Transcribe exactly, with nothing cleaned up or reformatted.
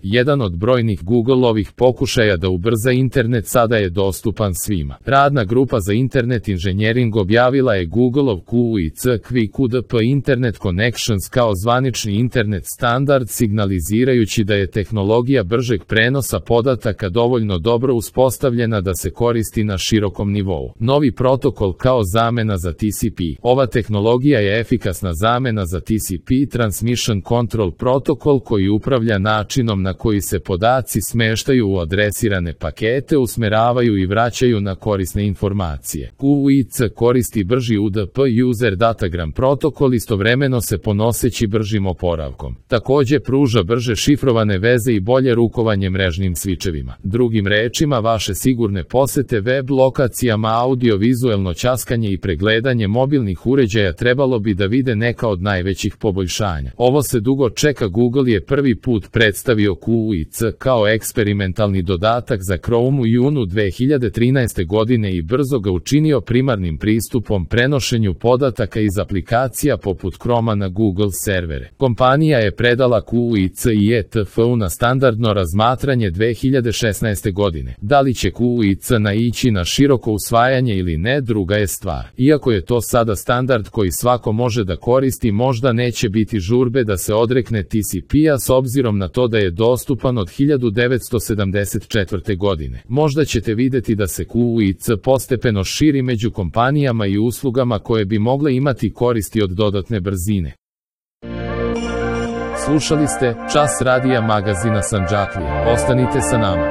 Jedan od brojnih Googleovih pokušaja da ubrza internet sada je dostupan svima. Radna grupa za internet inženjering objavila je Googleov Q I C Q Q D P Internet Connections kao zvanični internet standard, signalizirajući da je tehnologija bržeg prenosa podataka dovoljno dobro uspostavljena da se koristi na širokom nivou. Novi protokol kao zamena za T C P. Ova tehnologija je efikasna zamena za T C P Transmission Control Protocol koji upravlja načinom na koji se podaci smeštaju u adresirane pakete, usmeravaju i vraćaju na korisne informacije. Q I C koristi brži U D P User Datagram protokol, istovremeno se ponoseći bržim oporavkom. Takođe pruža brže šifrovane veze i bolje rukovanje mrežnim svičevima. Drugim rečima, vaše sigurne posete web lokacijama, audio-vizuelno ćaskanje i pregledanje mobilnih uređaja trebalo bi da vide neka od najvećih poboljšanja. Ovo se dugo čeka. Google je prvi put predstavio Q I C kao eksperimentalni dodatak za Chrome u junu dve hiljade trinaeste godine i brzo ga učinio primarnim pristupom prenošenju podataka iz aplikacija poput Chroma na Google servere. Kompanija je predala Q I C i E T F-u na standardno razmatranje dve hiljade šesnaeste godine. Da li će Q I C naići na široko usvajanje ili ne, druga je stvar. Iako je to sada standard koji svako može da koristi, možda neće biti žurbe da se odrekne T C P-a s obzirom na to da je dostupan od hiljadu devetsto sedamdeset četvrte. godine. Možda ćete videti da se Q I C postepeno širi među kompanijama i uslugama koje bi mogle imati koristi od dodatne brzine. Slušali ste Čas radija magazina Sandžaklija. Ostanite sa nama.